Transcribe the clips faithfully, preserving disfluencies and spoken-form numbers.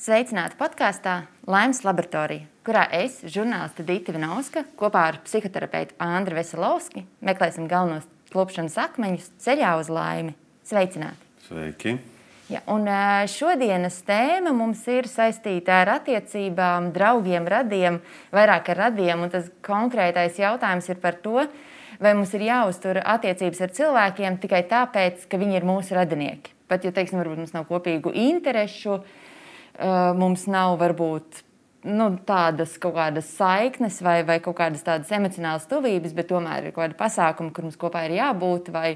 Sveicināti podkāstā Laimes laboratorija, kurā es, žurnāliste Dita Vinauska, kopā ar psihoterapeitu Andri Veselovski meklēsim galvenos klupšanas akmeņus ceļā uz laimi. Sveicināti! Sveiki! Ja, un šodienas tēma mums ir saistīta ar attiecībām, draugiem, radiem, vairāk ar radiem, un tas konkrētais jautājums ir par to, vai mums ir jāuztur attiecības ar cilvēkiem tikai tāpēc, ka viņi ir mūsu radinieki. Pat, ja, teiksim, varbūt mums nav kopīgu interešu, mums nav varbūt nu, tādas kaut kādas saiknes vai, vai kaut kādas tādas emocionālas tuvības, bet tomēr ir kaut kādi pasākumi, kur mums kopā ir jābūt, vai,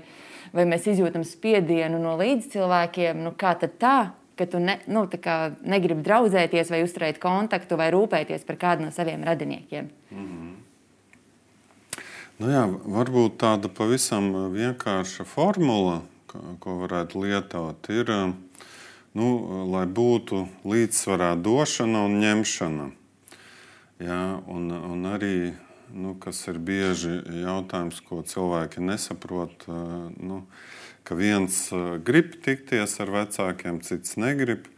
vai mēs izjūtam spiedienu no līdzcilvēkiem. Nu, kā tad tā, ka tu ne, nu, tā kā negribi draudzēties vai uzturēt kontaktu vai rūpēties par kādu no saviem radiniekiem? Mm-hmm. Nu jā, varbūt tāda pavisam vienkārša formula, ko varētu lietot, ir, nu, lai būtu līdzsvarā došana un ņemšana. Jā, un, un arī, nu, kas ir bieži jautājums, ko cilvēki nesaprot, nu, ka viens grib tikties ar vecākiem, cits negrib.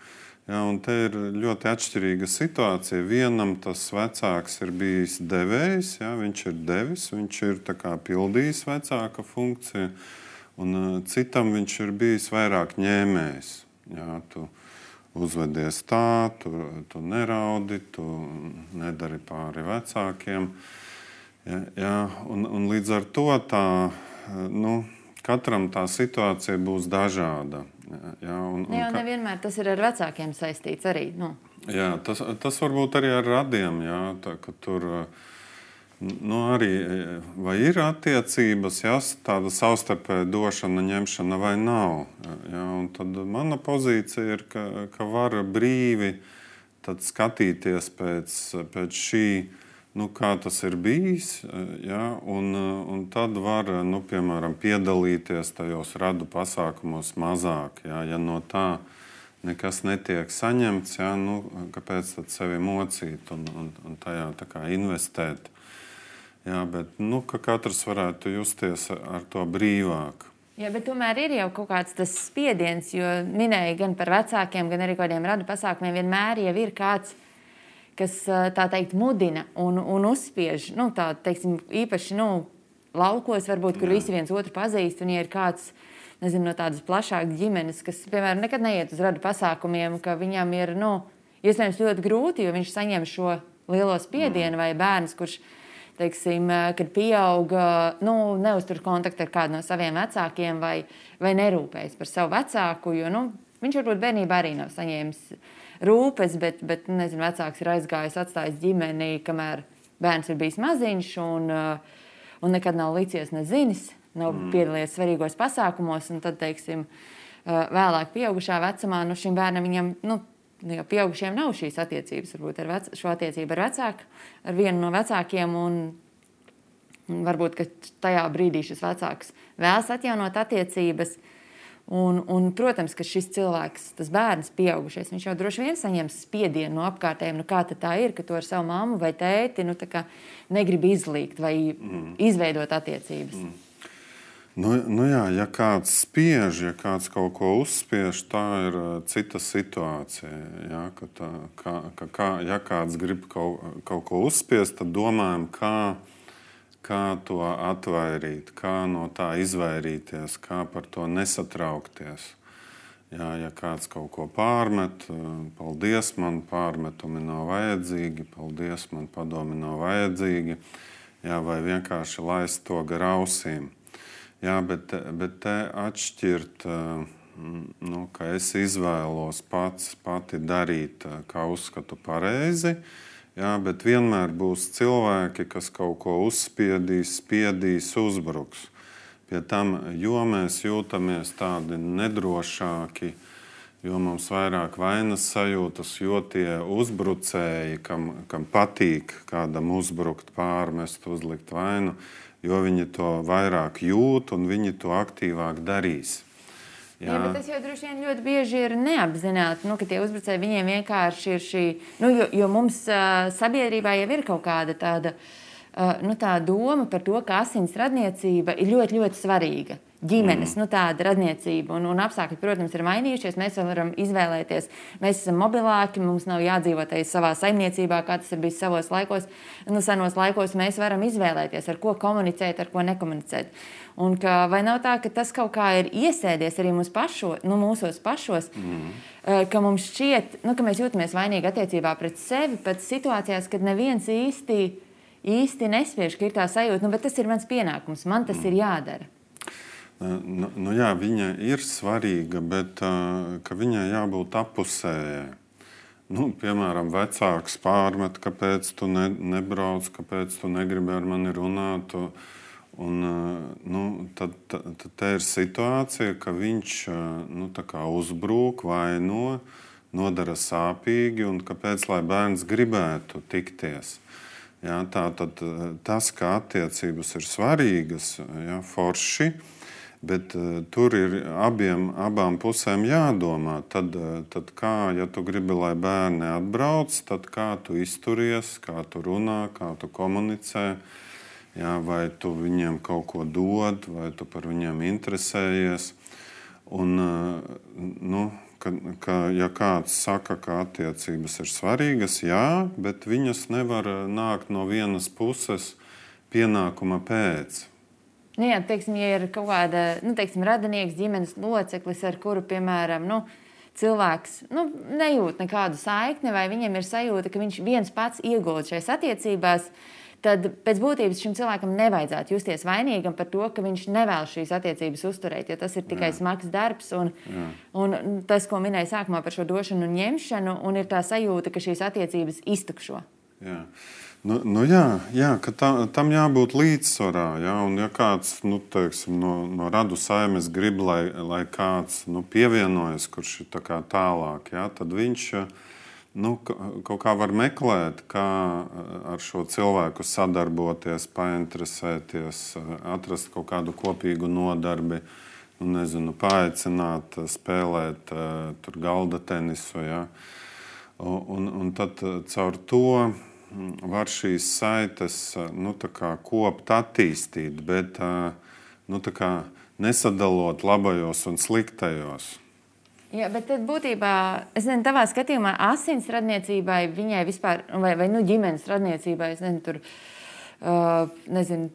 Jā, un te ir ļoti atšķirīga situācija. Vienam tas vecāks ir bijis devējs, jā, viņš ir devis, viņš ir tā kā pildījis vecāka funkciju, un citam viņš ir bijis vairāk ņēmējs. Jā, tu uzvedies tā, tu, tu neraudi, tu nedari pāri vecākiem. Jā, jā, un, un līdz ar to tā, nu, katram tā situācija būs dažāda. Jā, un, un jā, nevienmēr tas ir ar vecākiem saistīts arī. Nu. Jā, tas, tas varbūt arī ar radiem, jā, tā, ka tur nu, arī vai ir attiecības, jā, tāda savstarpēja došana, ņemšana vai nav. Jā, un tad mana pozīcija ir, ka, ka var brīvi tad skatīties pēc, pēc šī, nu, kā tas ir bijis, jā, un, un tad var, nu, piemēram, piedalīties tajos radu pasākumos mazāk. Jā, ja no tā nekas netiek saņemts, jā, nu, kāpēc tad sevi mocīt un, un, un tajā tā kā investēt. Jā, bet nu, ka katrs varētu justies ar to brīvāk. Jā, bet tomēr ir jau kaut kāds tas spiediens, jo minēja gan par vecākiem, gan arī kādiem radu pasākumiem, vienmēr jau ir kāds, kas tā teikt mudina un, un uzspiež, nu, tā, teiksim, īpaši, nu, laukos varbūt, kur Jā. Visi viens otru pazīst, un ja ir kāds, nezinu, no tādas plašākas ģimenes, kas, piemēram, nekad neiet uz radu pasākumiem, ka viņam ir, nu, iespējams ļoti grūti, jo viņš saņem šo lielo spiedienu, vai bērns, kurš teiksim, kad pieauga, nu, neuztur kontaktu ar kādu no saviem vecākiem vai, vai nerūpējas par savu vecāku, jo, nu, viņš varbūt bērnībā arī nav saņēmis rūpes, bet, bet nezinu, vecāks ir aizgājis, atstājis ģimeni, kamēr bērns ir bijis maziņš un, un nekad nav licies nezinis, nav mm. piedalījies svarīgos pasākumos, un tad, teiksim, vēlāk pieaugušā vecumā, nu, šim bērnam viņam, nu, jo pieaugušiem nav šīs attiecības, varbūt ar vec, šo attiecību ar vecāku, ar vienu no vecākiem, un, un varbūt, ka tajā brīdī šis vecāks vēlas atjaunot attiecības, un, un, protams, ka šis cilvēks, tas bērns pieaugušies, viņš jau droši vien saņems spiedienu no apkārtējiem, nu kā tad tā ir, ka tu ar savu mammu vai tēti, nu tā kā negribi izlīgt vai mm. izveidot attiecības. Mm. Nu, nu jā, ja kāds spiež, ja kāds kaut ko uzspiež, tā ir cita situācija. Jā, ka tā, kā, ka, kā, ja kāds grib kaut, kaut ko uzspiest, tad domājam, kā, kā to atvairīt, kā no tā izvairīties, kā par to nesatraukties. Jā, ja kāds kaut ko pārmet, paldies, man pārmetumi nav vajadzīgi, paldies, man padomi nav vajadzīgi, jā, vai vienkārši laist to gar ausīm. Jā, bet, bet te atšķirt, nu, ka es izvēlos pats pati darīt, kā uzskatu pareizi, jā, bet vienmēr būs cilvēki, kas kaut ko uzspiedīs, spiedīs, uzbruks. Pie tam, jo mēs jūtamies tādi nedrošāki, jo mums vairāk vainas sajūtas, jo tie uzbrucēji, kam, kam patīk kādam uzbrukt, pārmest, uzlikt vainu, jo viņi to vairāk jūt un viņi to aktīvāk darīs. Jā, Jā bet tas jau droši vien ļoti bieži ir neapzināti, nu, ka tie uzbrucēji viņiem vienkārši ir šī, nu, jo, jo mums uh, sabiedrībā jau ir kaut kāda tāda, nu, tā doma par to, ka asins radniecība ir ļoti, ļoti svarīga. Ģimenes, mm. nu, tāda radniecība un, un apstākļi, protams, ir mainījušies. Mēs varam izvēlēties. Mēs esam mobilāki, mums nav jādzīvot savā saimniecībā, kā tas ir bijis savos laikos. Nu, senos laikos mēs varam izvēlēties, ar ko komunicēt, ar ko nekomunicēt. Un ka, vai nav tā, ka tas kaut kā ir iesēdies arī mūsu pašo, nu, mūsos pašos, mm. ka mums šķiet, nu, ka mēs jūtamies vainīgi attiecībā pret sevi, pat situācijās, kad neviens īsti, īsti nespiež, ka ir tā sajūta, nu, bet tas ir mans pienākums, man tas mm. ir jādara. Nu, nu jā, viņa ir svarīga, bet uh, viņai jābūt appusējai. Nu, piemēram, vecāks pārmet, kāpēc tu ne, nebrauc, kāpēc tu negribi ar mani runāt. Un, uh, nu, tad, tad, tad te ir situācija, ka viņš uh, nu, tā kā uzbrūk, vaino, nodara sāpīgi, un kāpēc lai bērns gribētu tikties. Jā, tā, tad, tas, ka attiecības ir svarīgas, jā, forši, bet uh, tur ir abiem, abām pusēm jādomā. Tad, uh, tad kā, ja tu gribi, lai bērni atbrauc, tad kā tu izturies, kā tu runā, kā tu komunicē, jā, vai tu viņiem kaut ko dod, vai tu par viņiem interesējies. Un, uh, nu, ka, ka, ja kāds saka, ka attiecības ir svarīgas, jā, bet viņas nevar nākt no vienas puses pienākuma pēc. Nu, jā, teiksim, ja ir kaut kāda, nu, teiksim, radinieks, ģimenes loceklis, ar kuru, piemēram, nu, cilvēks nu, nejūt nekādu saikni, vai viņam ir sajūta, ka viņš viens pats iegulda šajās attiecībās, tad pēc būtības šim cilvēkam nevajadzētu justies vainīgam par to, ka viņš nevēlas šīs attiecības uzturēt, jo tas ir tikai jā. Smags darbs. Un, un tas, ko minēja sākumā par šo došanu un ņemšanu, un ir tā sajūta, ka šīs attiecības iztukšo. Jā. Nu, nu jā, jā, ka tā, tam jābūt līdzsvarā. Jā, un ja kāds nu, teiksim, no, no radu saimes grib, lai, lai kāds nu, pievienojas, kurš ir tā kā tālāk, jā, tad viņš nu, kaut kā var meklēt, kā ar šo cilvēku sadarboties, painteresēties, atrast kaut kādu kopīgu nodarbi, nu, nezinu, paaicināt, spēlēt tur galda tenisu. Jā. Un, un tad caur to var šīs saites nu, kopt, attīstīt, bet nu, nesadalot labajos un sliktajos. Jā, bet tad būtībā, es nezinu, tavā skatījumā asins radniecībai, viņai vispār, vai, vai nu, ģimenes radniecībai, es nezinu, tur, uh, nezinu,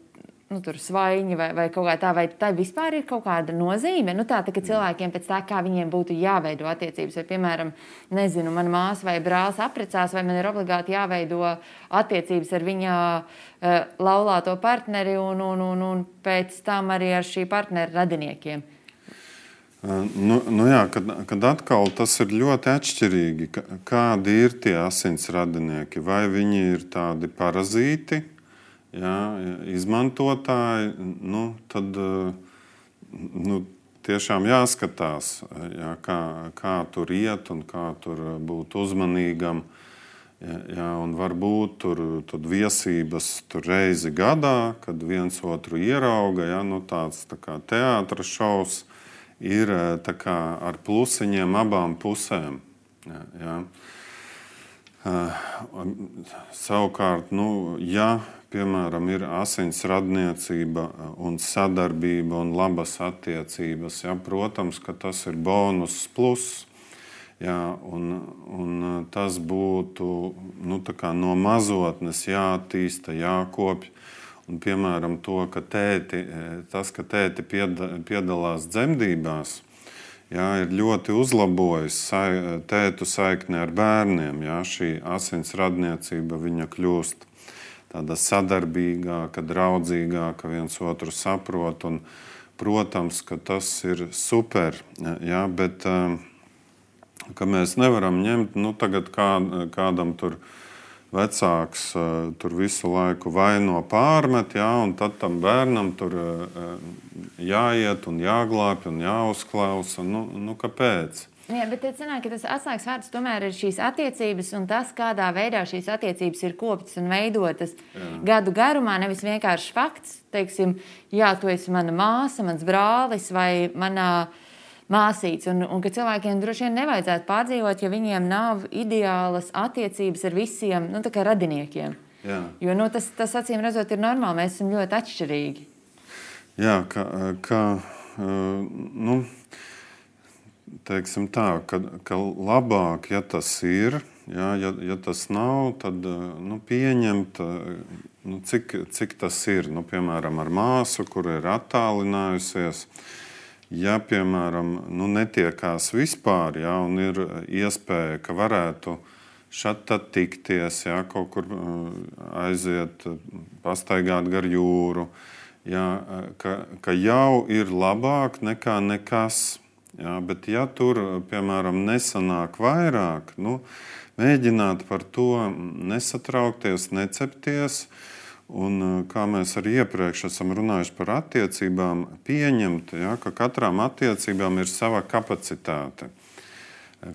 nu, tur svaiņi vai, vai kaut kā tā, vai tā vispār ir kaut kāda nozīme? Nu, tā, tā, ka cilvēkiem pēc tā, kā viņiem būtu jāveido attiecības, vai, piemēram, nezinu, mana māsa vai brālis apprecās, vai man ir obligāti jāveido attiecības ar viņa uh, laulāto partneri un, un, un, un pēc tam arī ar šī partnera radiniekiem. Nu, nu jā, kad, kad atkal tas ir ļoti atšķirīgi, kādi ir tie asins radinieki. Vai viņi ir tādi parazīti, jā, izmantotāji, nu, tad nu, tiešām jāskatās, jā, kā, kā tur iet un kā tur būt uzmanīgam. Jā, jā, un varbūt tur, tur viesības tur reizi gadā, kad viens otru ierauga, jā, nu, tāds tā kā teātra šovs. Ir tā kā ar plusiņiem abām pusēm. Jā, jā. Uh, savukārt, nu, ja, piemēram, ir asins radniecība un sadarbība un labas attiecības, jā, protams, ka tas ir bonus plus. Jā, un, un tas būtu nu, tā kā no mazotnes jāattīsta, jākopj. Un, piemēram, to, ka tēti, tas, ka tēti piedalās dzemdībās, jā, ir ļoti uzlabojis sai, tētu saikni ar bērniem. Jā, šī asins radniecība viņa kļūst tāda sadarbīgāka, draudzīgāka, viens otru saprot. Un, protams, ka tas ir super, jā, bet ka mēs nevaram ņemt, nu, tagad kā, kādam tur vecāks tur visu laiku vaino pārmet, jā, un tad tam bērnam tur jāiet un jāglābj un jāuzklausa. Nu, nu kāpēc? Jā, bet tad sanāk, ka tas atslēgas vārds tomēr ir šīs attiecības un tas, kādā veidā šīs attiecības ir koptas un veidotas jā. Gadu garumā, nevis vienkārši fakts, teiksim, jā, tu esi mana māsa, mans brālis vai manā māsīts, un, un ka cilvēkiem droši vien nevajadzētu pārdzīvot, ja viņiem nav ideālas attiecības ar visiem, nu, tā kā radiniekiem. Jā. Jo nu, tas, tas acīm redzot ir normāli, mēs esam ļoti atšķirīgi. Jā, ka, ka nu, teiksim tā, ka, ka labāk, ja tas ir, jā, ja, ja tas nav, tad nu, pieņemt, nu, cik, cik tas ir. Nu, piemēram, ar māsu, kur ir attālinājusies, ja, piemēram, nu, netiekās vispār, jā, un ir iespēja, ka varētu šad tad tikties, jā, kaut kur aiziet, pastaigāt gar jūru, jā, ka, ka jau ir labāk nekā nekas. Jā, bet ja tur, piemēram, nesanāk vairāk, nu, mēģināt par to nesatraukties, necepties, un kā mēs arī iepriekš esam runājuši par attiecībām, pieņemt, ja, ka katrām attiecībām ir sava kapacitāte.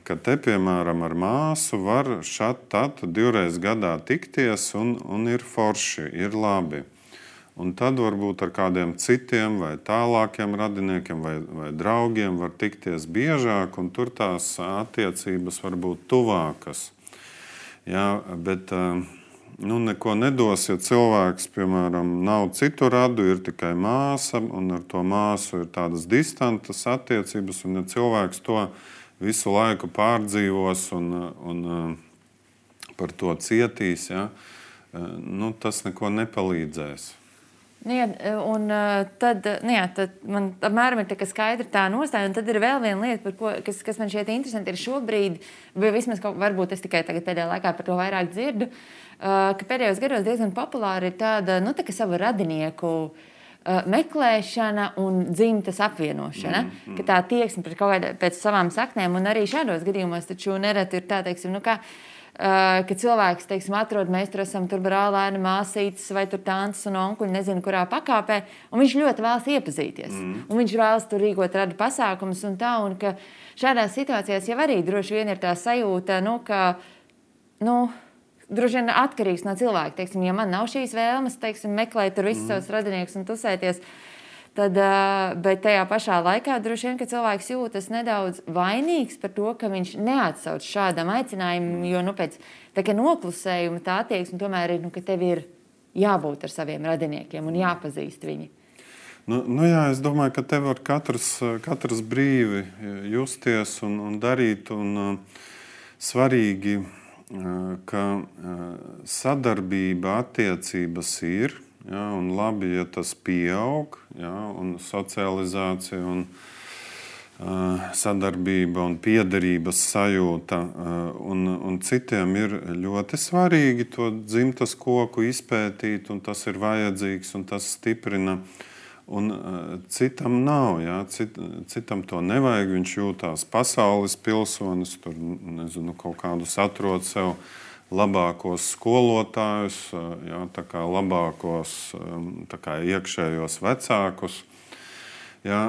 Ka te, piemēram, ar māsu var šad tad divreiz gadā tikties un, un ir forši, ir labi. Un tad varbūt ar kādiem citiem vai tālākiem radiniekiem vai, vai draugiem var tikties biežāk, un tur tās attiecības var būt tuvākas. Jā, bet nu, neko nedos, ja cilvēks, piemēram, nav citu radu, ir tikai māsa, un ar to māsu ir tādas distantas attiecības, un ja cilvēks to visu laiku pārdzīvos un, un par to cietīs, ja, nu, tas neko nepalīdzēs. Nu, jā, un tad, nu, jā, tad man apmēram ir tā, skaidra tā nostāja, un tad ir vēl viena lieta, par ko, kas, kas man šķiet interesanti, ir šobrīd, vai vismaz kaut, varbūt es tikai tagad pēdējā laikā par to vairāk dzirdu, ka pēdējos gados diezgan populāri ir tāda, nu, tā kā savu radinieku meklēšana un dzimtas apvienošana, mm, mm. ka tā tieksme pret kaut kādā pēc savām saknēm, un arī šādos gadījumos taču nereti ir tā, teiksim, nu kā, Uh, ka cilvēks, teiksim, atrod, mēs tur esam tur brālēni, māsītes vai tur tantes un onkuļi, nezinu, kurā pakāpē, un viņš ļoti vēlas iepazīties. Mm. Un viņš vēlas tur rīkot radu pasākumus un tā, un ka šādās situācijās jau arī droši vien ir tā sajūta, nu, ka, nu, droši vien atkarīgs no cilvēka. Teiksim, ja man nav šīs vēlmes, teiksim, meklēt tur visus mm. savus radiniekus un tusēties, tad, bet tajā pašā laikā droši vien, ka cilvēks jūtas nedaudz vainīgs par to, ka viņš neatsauc šādam aicinājumam, jo nu, pēc tā kā noklusējuma tā attieksme tomēr ir, nu, ka tev ir jābūt ar saviem radiniekiem un jāpazīst viņi. Nu, nu jā, es domāju, ka te var katrs, katrs brīvi justies un, un darīt, un uh, svarīgi, uh, ka uh, sadarbība attiecības ir. Jā, un labi, ja tas pieaug, jā, un socializācija, un uh, sadarbība un piederības sajūta. Uh, un, un citiem ir ļoti svarīgi to dzimtas koku izpētīt, un tas ir vajadzīgs, un tas stiprina. Un uh, citam nav, jā, cit, citam to nevajag, viņš jūtās pasaules pilsonis, tur, nezinu, kaut kādus atrod sev labākos skolotājus, jā, tā kā labākos tā kā iekšējos vecākus. Jā,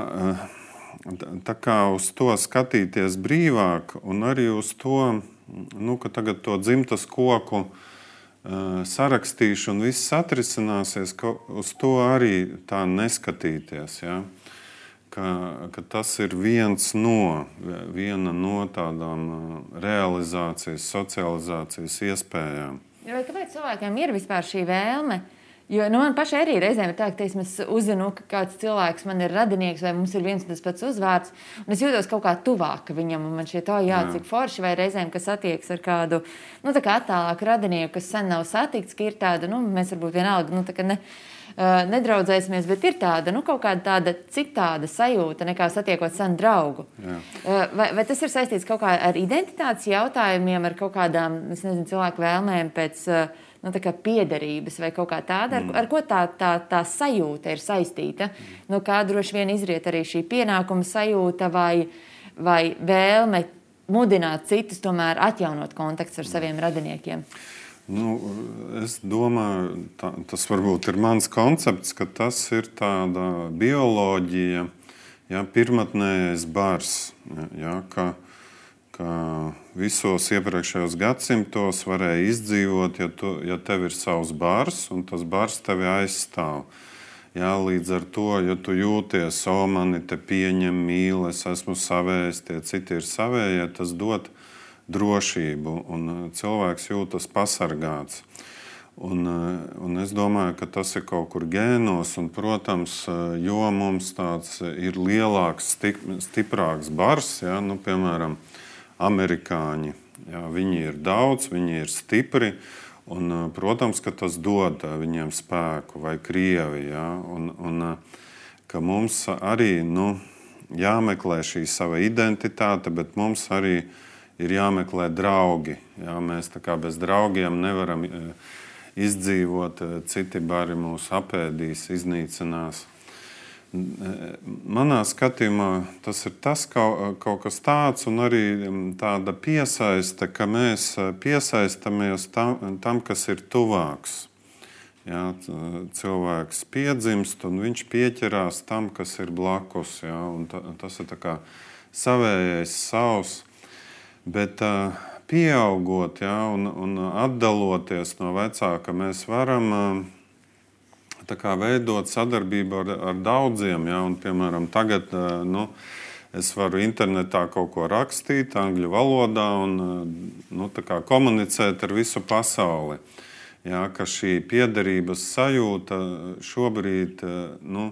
tā kā uz to skatīties brīvāk un arī uz to, nu, ka tagad to dzimtas koku sarakstīšu un viss atrisināsies, ka uz to arī tā neskatīties. Jā. Ka, ka tas ir viens no, viena no tādām realizācijas, socializācijas iespējām. Vai kāpēc cilvēkiem ir vispār šī vēlme? Jo nu, man pašai arī reizēm ir tā, ka teiksim, es uzzinu, ka kāds cilvēks man ir radinieks vai mums ir viens un tas pats uzvārds, un es jūtos kaut kā tuvāk viņam, un man šķiet, oh, jā, jā, cik forši, vai reizēm, kas attieks ar kādu, nu, tā kā attālāku radinieku, kas sen nav satikts, ka ir tāda, nu, mēs varbūt vienalga, nu, tā kā ne... nedraudzēsimies, bet ir tāda, nu, kaut kāda tāda citāda sajūta nekā satiekot senu draugu. Vai, vai tas ir saistīts kaut kā ar identitātes jautājumiem, ar kaut kādām, es nezinu, cilvēku vēlmēm pēc, nu, tā kā piederības vai kaut kā tāda, ar, ar ko tā, tā, tā sajūta ir saistīta? Mm. Nu, kā droši vien izriet arī šī pienākuma sajūta vai, vai vēlme mudināt citus tomēr atjaunot kontakts ar saviem radiniekiem? Nu, es domāju, tā, tas varbūt ir mans koncepts, ka tas ir tāda bioloģija, ja, pirmatnējais bars, ja, ka, ka visos iepriekšējos gadsimtos varēja izdzīvot, ja, tu, ja tev ir savs bars un tas bars tevi aizstāv. Ja, līdz ar to, ja tu jūties, o, mani te pieņem, mīl, es esmu savējs, tie citi ir savējie, tas dod drošību, un cilvēks jūtas pasargāts. Un, un es domāju, ka tas ir kaut kur gēnos, un, protams, jo mums tāds ir lielāks, stip, stiprāks bars, ja, nu, piemēram, amerikāņi, ja, viņi ir daudz, viņi ir stipri, un, protams, ka tas dod viņiem spēku, vai Krievi, ja, un, un ka mums arī, nu, jāmeklē šī sava identitāte, bet mums arī ir jāmeklē draugi, ja, mēs tā kā bez draugiem nevaram izdzīvot, citi bari mūs apēdīs, iznīcinās. Manā skatījumā tas ir tas kaut, kaut kas tāds, un arī tāda piesaiste, ka mēs piesaistamies tam, tam kas ir tuvāks. Jā, cilvēks piedzimst, un viņš pieķerās tam, kas ir blakus. Jā, un ta, tas ir tā kā savējais, savs. Bet pieaugot, ja, un, un atdaloties no vecāka, mēs varam tā kā veidot sadarbību ar, ar daudziem. Ja, un, piemēram, tagad nu, es varu internetā kaut ko rakstīt angļu valodā un nu, tā kā komunicēt ar visu pasauli. Ja, ka šī piederības sajūta šobrīd, nu,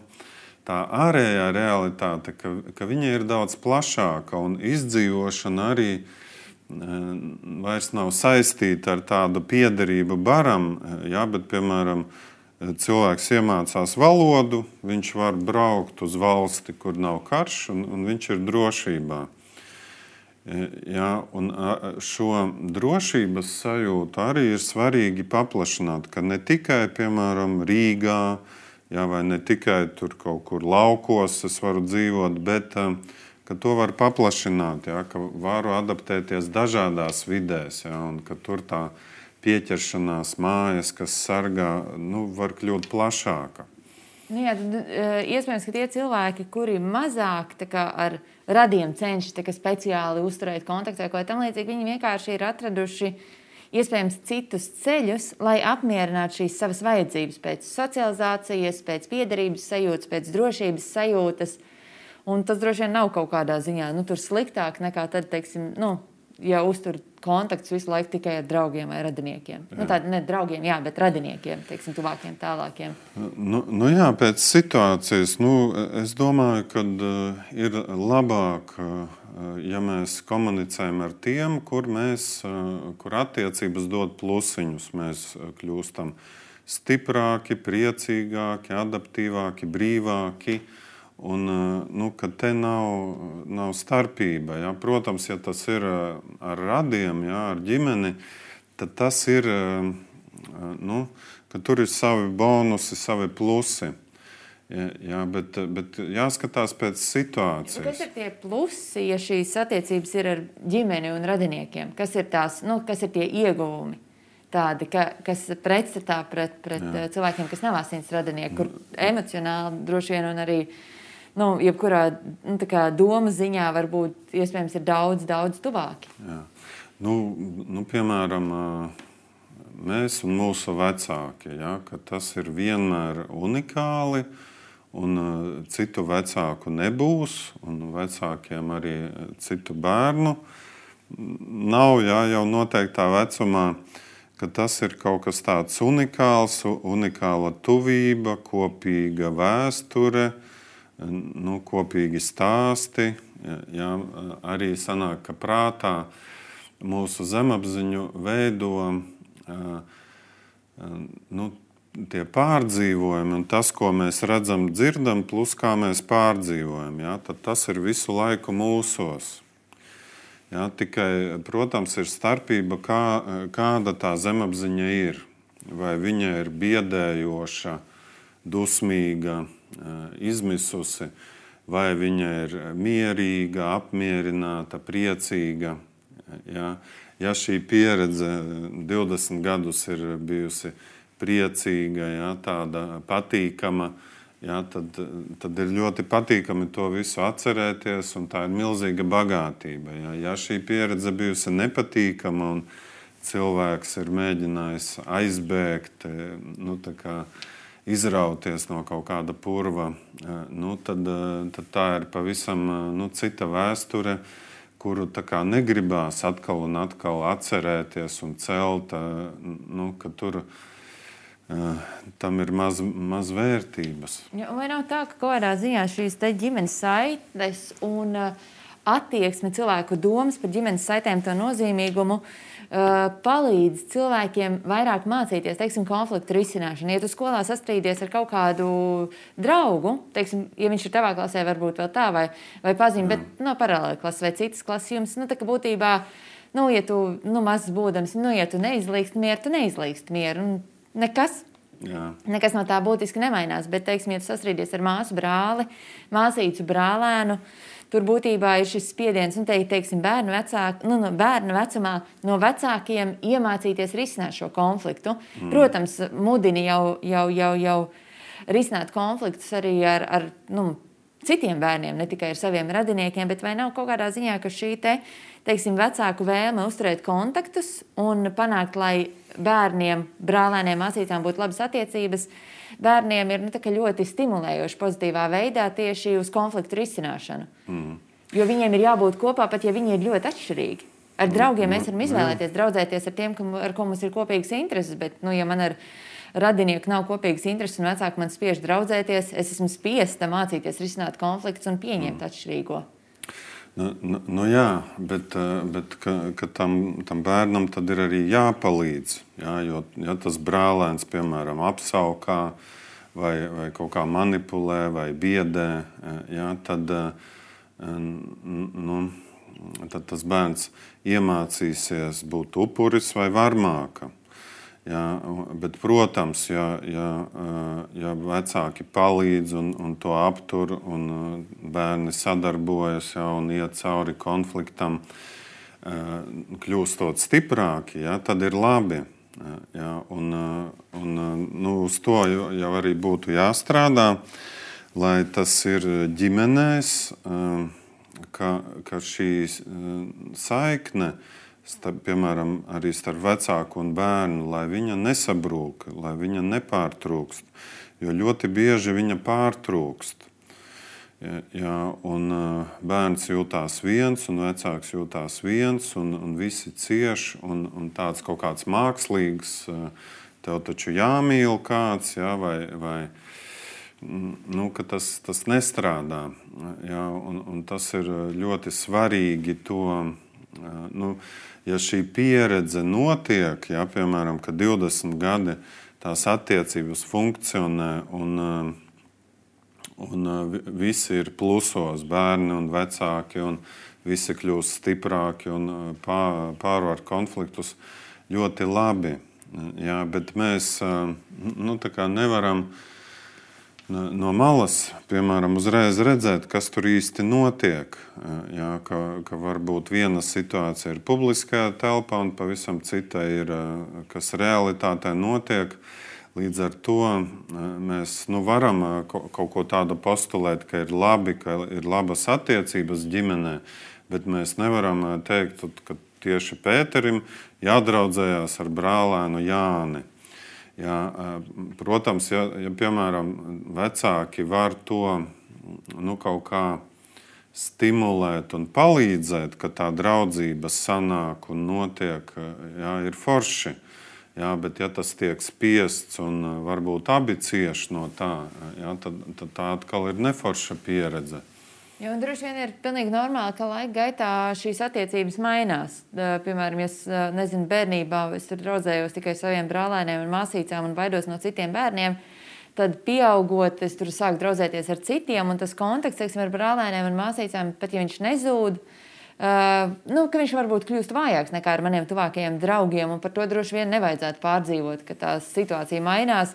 tā ārējā realitāte, ka, ka viņa ir daudz plašāka un izdzīvošana arī vairs nav saistīta ar tādu piederību baram, ja, bet, piemēram, cilvēks iemācās valodu, viņš var braukt uz valsti, kur nav karš, un, un viņš ir drošībā. Ja, un šo drošības sajūtu arī ir svarīgi paplašināt, ka ne tikai, piemēram, Rīgā, ja, vai ne tikai tur kaut kur laukos es varu dzīvot, bet ka to var paplašināt, ja, ka varu adaptēties dažādās vidēs, ja, un ka tur tā pieķeršanās mājas, kas sargā, nu, var kļūt plašāka. Nu jā, tad, iespējams, ka tie cilvēki, kuri mazāk tā kā, ar radiem cenšas tā kā, speciāli uzturēt kontaktu vai ko tam līdzīgi, viņi vienkārši ir atraduši iespējams citus ceļus, lai apmierinātu šīs savas vajadzības pēc socializācijas, pēc piederības sajūtas, pēc drošības sajūtas. Un tas droši vien nav kaut kādā ziņā nu, tur sliktāk nekā tad, teiksim, nu, ja uztur kontaktus visu laiku tikai ar draugiem vai radiniekiem. Jā. Nu, tādi ne draugiem, jā, bet radiniekiem, teiksim, tuvākiem, tālākiem. Nu, nu jā, pēc situācijas, nu, es domāju, ka uh, ir labāk, uh, ja mēs komunicējam ar tiem, kur mēs, uh, kur attiecības dod plusiņus. Mēs kļūstam stiprāki, priecīgāki, adaptīvāki, brīvāki. Un, nu, ka te nav, nav starpība. Ja? Protams, ja tas ir ar radiem, ja, ar ģimeni, tad tas ir, nu, ka tur ir savi bonusi, savi plusi. Ja, ja, bet, bet jāskatās pēc situācijas. Kas ir tie plusi, ja šīs attiecības ir ar ģimeni un radiniekiem? Kas ir, tās, nu, kas ir tie ieguvumi? Tādi, ka, kas pretstatā pret, pret Jā. cilvēkiem, kas nav asins radinieki, kur emocionāli droši vien un arī nu, jebkurā nu, tā kā doma ziņā varbūt iespējams ir daudz, daudz tuvāki. Jā. Nu, nu, piemēram, mēs un mūsu vecāki, ja, ka tas ir vienmēr unikāli un citu vecāku nebūs un vecākiem arī citu bērnu nav, ja, jau noteiktā vecumā, ka tas ir kaut kas tāds unikāls, unikāla tuvība, kopīga vēsture, nu, kopīgi stāsti. Jā, arī sanāk, ka prātā mūsu zemapziņu veido nu, tie pārdzīvojumi un tas, ko mēs redzam, dzirdam, plus kā mēs pārdzīvojam. Jā, tad tas ir visu laiku mūsos. Jā, tikai, protams, ir starpība, kā, kāda tā zemapziņa ir. Vai viņa ir biedējoša, dusmīga, izmisusi, vai viņa ir mierīga, apmierināta, priecīga. Ja, ja šī pieredze divdesmit gadus ir bijusi priecīga, ja, tāda patīkama, ja, tad, tad ir ļoti patīkami to visu atcerēties, un tā ir milzīga bagātība. Ja, ja šī pieredze bijusi nepatīkama un cilvēks ir mēģinājis aizbēgt, nu, tā kā izrauties no kaut kāda purva, nu, tad, tad tā ir pavisam nu, cita vēsture, kuru tā kā negribās atkal un atkal atcerēties un celt, nu, ka tur tam ir maz, maz vērtības. Ja, vai nav tā, ka kaut kādā ziņā šīs te ģimenes saites un uh, attieksme, cilvēku domas par ģimenes saitēm, to nozīmīgumu uh, palīdz cilvēkiem vairāk mācīties, teiksim, konfliktu risināšanu. Ja tu skolā sastrīdies ar kaut kādu draugu, teiksim, ja viņš ir tavā klasē, varbūt vēl tā, vai, vai pazīm, bet no paralēli klases vai citas klases jums, nu, tā kā būtībā, nu, ja tu, nu, mazs būdams, nu, ja tu neizlīgst mieru, tu neizlīgst mieru, un nekas. Jā. Nekas no tā būtiski nemainās, bet, teiksim, ja tu sastrīdies ar māsu brāli, māsīcu brālēnu, tur būtībā ir šis spiediens, un te, teiksim, bērnu, vecāk, nu, no bērnu vecumā no vecākiem iemācīties risināt šo konfliktu. Mm. Protams, mudini jau, jau, jau, jau risināt konfliktus arī ar, ar nu, citiem bērniem, ne tikai ar saviem radiniekiem, bet vai nav kaut kādā ziņā, ka šī te, teiksim, vecāku vēlme uzturēt kontaktus un panākt, lai bērniem, brālēniem, māsīcām būtu labas attiecības, bērniem ir nu, tā, ļoti stimulējoši pozitīvā veidā tieši uz konfliktu risināšanu. Mm. Jo viņiem ir jābūt kopā, pat ja viņi ir ļoti atšķirīgi. Ar draugiem mēs varam izvēlēties draudzēties ar tiem, ar ko mums ir kopīgas intereses, bet, nu, ja man ar radinieku nav kopīgas intereses un vecāki man spiež draudzēties, es esmu spiesta mācīties risināt konfliktus un pieņemt mm. atšķirīgo. Nu, nu, nu jā, bet, bet ka, ka tam, tam bērnam tad ir arī jāpalīdz. Jā, jo, ja tas brālēns, piemēram, apsaukā vai, vai kaut kā manipulē vai biedē, jā, tad, nu, tad tas bērns iemācīsies būt upuris vai varmāka. Jā, bet, protams, ja, ja, ja vecāki palīdz un, un to aptur, un bērni sadarbojas jā, un iet cauri konfliktam, kļūstot stiprāki, jā, tad ir labi. Jā, un, un, nu, uz to jau arī būtu jāstrādā, lai tas ir ģimenēs, ka, ka šī saikne, Starp, piemēram, arī starp vecāku un bērnu, lai viņa nesabrūk, lai viņa nepārtrūkst, jo ļoti bieži viņa pārtrūkst. Ja, ja, un bērns jūtās viens, un vecāks jūtās viens, un, un visi cieš, un, un tāds kaut kāds mākslīgs, tev taču jāmīl kāds, ja, vai, vai nu, ka tas, tas nestrādā. Ja, un, un tas ir ļoti svarīgi to, nu, ja šī pieredze notiek, ja, piemēram, ka divdesmit gadi tās attiecības funkcionē un, un visi ir plusos, bērni un vecāki, un visi kļūst stiprāki un pārvar konfliktus ļoti labi. Ja, bet mēs nu, tā kā nevaram no malas, piemēram, uzreiz redzēt, kas tur īsti notiek. Jā, ka, ka varbūt viena situācija ir publiskajā telpā un pavisam cita ir, kas realitātē notiek. Līdz ar to mēs nu, varam kaut ko tādu postulēt, ka ir labi, ka ir labas attiecības ģimenē, bet mēs nevaram teikt, ka tieši Pēterim jādraudzējās ar brālēnu Jāni. Jā, protams, ja, ja, piemēram, vecāki var to nu, kaut kā stimulēt un palīdzēt, ka tā draudzība sanāk un notiek, jā, ir forši. Jā, bet ja tas tiek spiests un varbūt abi cieš no tā, jā, tad, tad tā atkal ir neforša pieredze. Jo, un droši vien ir pilnīgi normāli, ka laika gaitā šīs attiecības mainās. Piemēram, ja es nezinu, bērnībā es tur draudzējos tikai saviem brālēniem un māsīcām un baidos no citiem bērniem, tad pieaugot, es tur sāku draudzēties ar citiem, un tas kontakts, teiksim, ar brālēniem un māsīcām, pat ja viņš nezūd, uh, nu, ka viņš varbūt kļūst vājāks nekā ar maniem tuvākajiem draugiem, un par to droši vien nevajadzētu pārdzīvot, ka tā situācija mainās.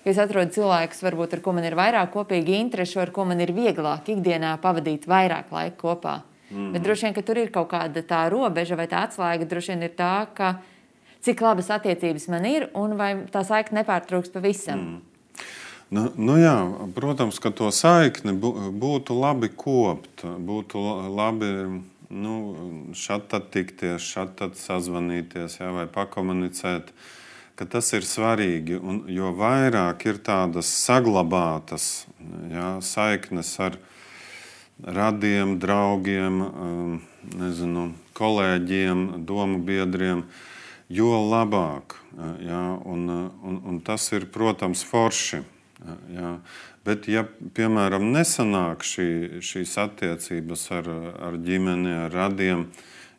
Es atrodu cilvēkus, varbūt, ar ko man ir vairāk kopīgi interešu, ar ko man ir vieglāk ikdienā pavadīt vairāk laika kopā. Mm. Bet droši vien, ka tur ir kaut kāda tā robeža vai tā atslēga, droši vien ir tā, ka cik labas attiecības man ir un vai tā saikne nepārtrūks pavisam. Mm. Nu, nu jā, protams, ka to saikni būtu labi kopt, būtu labi nu, šad tad tikties, šad tad sazvanīties, jā, vai pakomunicēt, ka tas ir svarīgi, un jo vairāk ir tādas saglabātas, jā, saiknes ar radiem, draugiem, nezinu, kolēģiem, domu biedriem, jo labāk. Jā, un, un, un tas ir, protams, forši. Jā. Bet, ja, piemēram, nesanāk šī, šīs attiecības ar, ar ģimeni, ar radiem,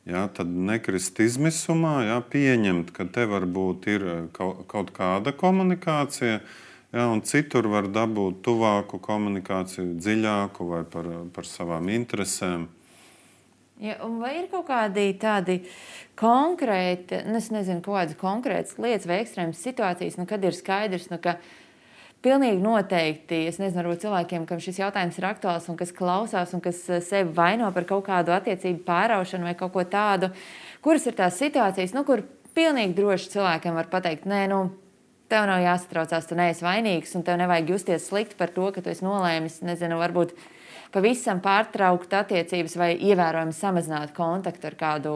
jā, tad nekrist izmisumā, jā, pieņemt, ka te varbūt ir kaut, kaut kāda komunikācija, jā, un citur var dabūt tuvāku komunikāciju, dziļāku vai par, par savām interesēm. Ja, vai ir kaut kādi tādi konkrēti, nu, es nezinu, kaut kādas konkrētas lietas vai ekstrēmas situācijas, nu, kad ir skaidrs, nu, ka pilnīgi noteikti, es nezinu, varbūt cilvēkiem, kam šis jautājums ir aktuāls un kas klausās un kas sevi vaino par kaut kādu attiecību pāraušanu vai kaut ko tādu, kuras ir tās situācijas, nu, kur pilnīgi droši cilvēkiem var pateikt, nē, nu, tev nav jāsatraucās, tu neesi vainīgs un tev nevajag justies slikti par to, ka tu esi nolēmis, nezinu, varbūt pavisam pārtraukt attiecības vai ievērojami samazināt kontaktu ar kādu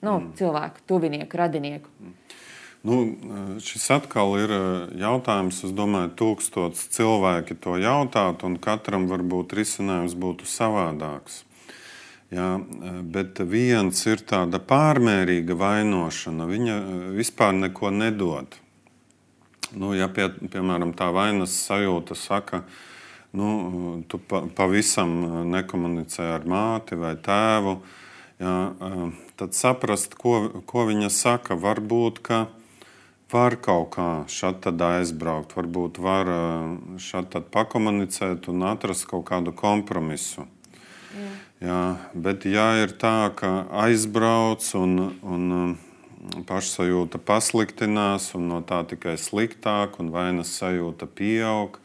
nu, mm. cilvēku, tuvinieku, radinieku. Nu, šis atkal ir jautājums, es domāju, tūkstots cilvēki to jautāt, un katram varbūt risinājums būtu savādāks. Jā, bet viens ir tāda pārmērīga vainošana, viņa vispār neko nedod. Nu, ja pie, piemēram tā vainas sajūta saka, nu, tu pa, pavisam nekomunicē ar māti vai tēvu, jā, tad saprast, ko, ko viņa saka. Varbūt, ka var kaut kā šad tad aizbraukt, varbūt var šad tad pakomunicēt un atrast kaut kādu kompromisu. Jā. Jā, bet ja ir tā, ka aizbrauc un, un pašsajūta pasliktinās un no tā tikai sliktāk un vainas sajūta pieaug,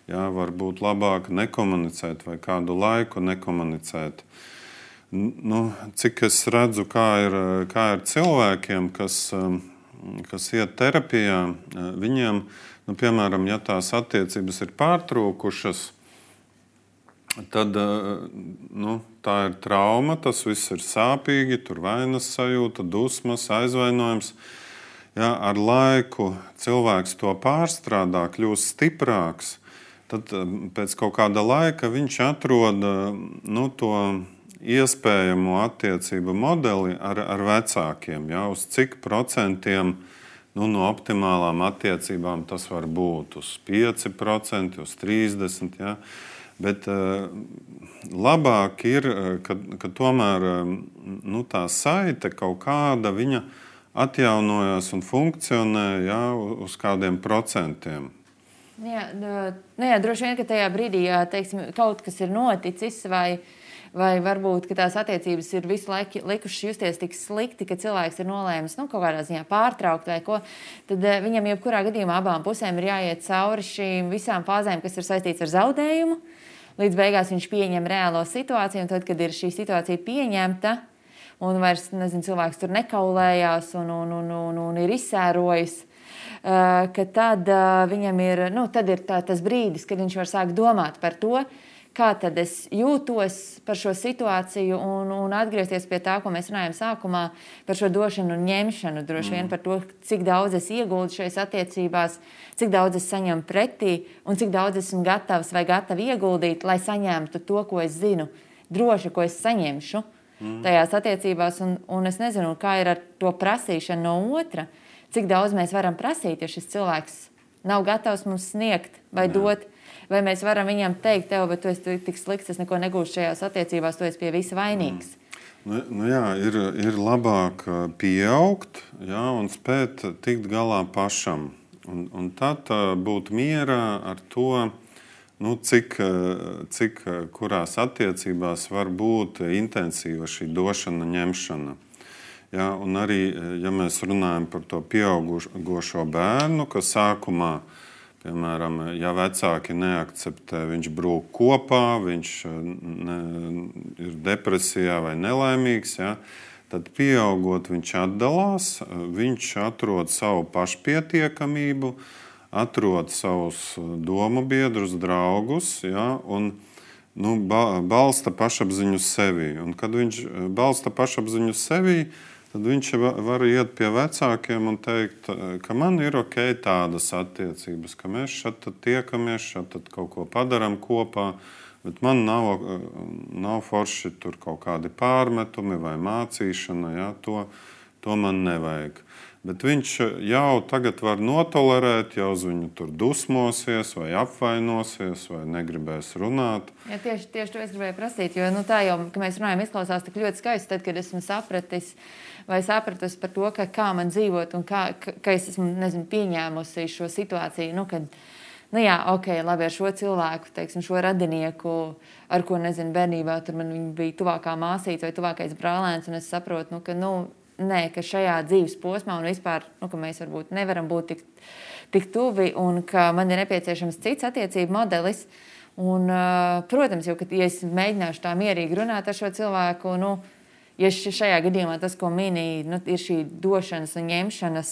jā, varbūt labāk nekomunicēt vai kādu laiku nekomunicēt. Nu, cik es redzu, kā ir, kā ir cilvēkiem, kas, kas iet terapijā, viņiem, nu, piemēram, ja tās attiecības ir pārtrūkušas, tad nu, tā ir trauma, tas viss ir sāpīgi, tur vainas sajūta, dusmas, aizvainojums. Ja, ar laiku cilvēks to pārstrādā, kļūst stiprāks, tad pēc kaut kāda laika viņš atrod nu, to iespējamo attiecību modeli ar, ar vecākiem. Ja, uz cik procentiem nu, no optimālām attiecībām tas var būt? Uz pieci procenti, uz trīsdesmit procenti. Ja. Bet uh, labāk ir, ka, ka tomēr nu, tā saite kaut kāda viņa atjaunojas un funkcionē, jā, uz kādiem procentiem. Jā, nu, jā, droši vien, ka tajā brīdī jā, teiksim, kaut kas ir noticis vai, vai varbūt ka tās attiecības ir visu laiku likušas justies tik slikti, ka cilvēks ir nolēmis nu, kaut kādā ziņā pārtraukt vai ko, tad viņam jebkurā gadījumā abām pusēm ir jāiet cauri šīm visām fāzēm, kas ir saistīts ar zaudējumu. Līdz beigās viņš pieņem reālo situāciju, un tad, kad ir šī situācija pieņemta, un vairs, nezinu, cilvēks tur nekaulējās un, un, un, un, un ir izsērojis, ka tad viņam ir, nu, tad ir tā, tas brīdis, kad viņš var sākt domāt par to, kā tad es jūtos par šo situāciju un, un atgriezties pie tā, ko mēs runājam sākumā, par šo došanu un ņemšanu, droši vien par to, cik daudz es ieguldu šajās attiecībās, cik daudz es saņemu pretī un cik daudz esmu gatavs vai gatavi ieguldīt, lai saņemtu to, ko es zinu, droši, ko es saņemšu mm. tajās attiecībās. Un, un es nezinu, kā ir ar to prasīšanu no otra, cik daudz mēs varam prasīt, ja šis cilvēks nav gatavs mums sniegt vai Jā. dot. Vai mēs varam viņam teikt, tev, bet tu esi tik slikts, es neko negūšu šajās attiecībās, tu esi pie visa vainīgs. Mm. Nu, nu jā, ir, ir labāk pieaugt, jā, un spēt tikt galā pašam. Un, un tad būt mierā ar to, nu, cik, cik kurās attiecībās var būt intensīva šī došana, ņemšana. Jā, un arī, ja mēs runājam par to pieaugušo bērnu, ka sākumā, piemēram, ja vecāki neakceptē, viņš brūk kopā, viņš ne, ir depresijā vai nelaimīgs, ja, tad pieaugot viņš atdalās, viņš atrod savu pašpietiekamību, atrod savus domu biedrus, draugus, ja, un nu, balsta pašapziņu sevī. Un kad viņš balsta pašapziņu sevī, tad viņš var iet pie vecākiem un teikt, ka man ir ok tādas attiecības, ka mēs šeit tiekamies, šeit kaut ko padaram kopā, bet man nav, nav forši tur kaut kādi pārmetumi vai mācīšana, ja, to, to man nevajag. Bet viņš jau tagad var notolerēt, jau uz viņu tur dusmosies, vai apvainosies, vai negribēs runāt. Ja, tieši, tieši to es gribēju prasīt, jo nu, tā jau, ka mēs runājam, izklausās tik ļoti skaisti, tad, kad esmu sapratis vai sapratusi par to, ka kā man dzīvot un kā, ka, ka es esmu, nezinu, pieņēmusi šo situāciju, nu, kad, nu jā, ok, labi, ar šo cilvēku, teiksim, šo radinieku, ar ko, nezinu, bērnībā, tur man viņa bija tuvākā māsīca vai tuvākais brālēns, un es saprotu, nu, ka, nu, nē, ka šajā dzīves posmā un vispār, nu, ka mēs varbūt nevaram būt tik, tik tuvi un ka man ir nepieciešams cits attiecību modelis. Un, protams, jau, ka, ja es mēģināšu tā mierīgi runāt ar šo cilvēku, nu, ja šajā gadījumā tas, ko minēja, nu, ir šī došanas un ņemšanas,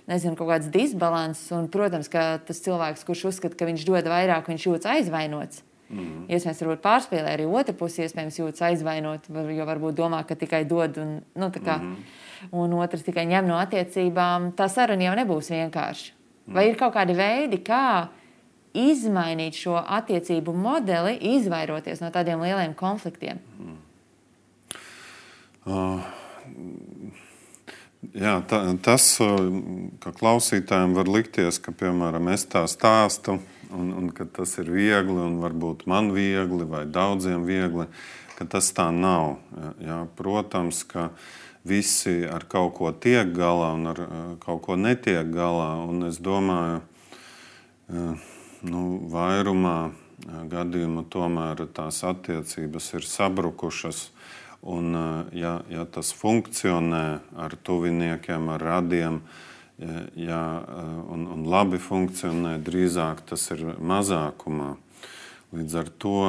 nezinu, kaut kāds disbalanss, un, protams, ka tas cilvēks, kurš uzskata, ka viņš dod vairāk, viņš jūtas aizvainots. Mm. Iespējams, varbūt pārspēlē arī otra pusi, iespējams, jūtas aizvainot, jo varbūt domā, ka tikai dod un, nu, tā kā, mm. un otrs tikai ņem no attiecībām. Tā saruna jau nebūs vienkārši. Mm. Vai ir kaut kādi veidi, kā izmainīt šo attiecību modeli, izvairoties no tādiem lieliem konfliktiem? Mm. Uh, jā, ta, tas, ka klausītājiem var likties, ka, piemēram, es tā stāstu, Un, un ka tas ir viegli, un varbūt man viegli, vai daudziem viegli, ka tas tā nav. Jā, protams, ka visi ar kaut ko tiek galā un ar kaut ko netiek galā. Un es domāju, nu, vairumā gadījumu tomēr tās attiecības ir sabrukušas. Un, ja, ja tas funkcionē ar tuviniekiem, ar radiem, Jā, un, un labi funkcionē, drīzāk tas ir mazākumā. Līdz ar to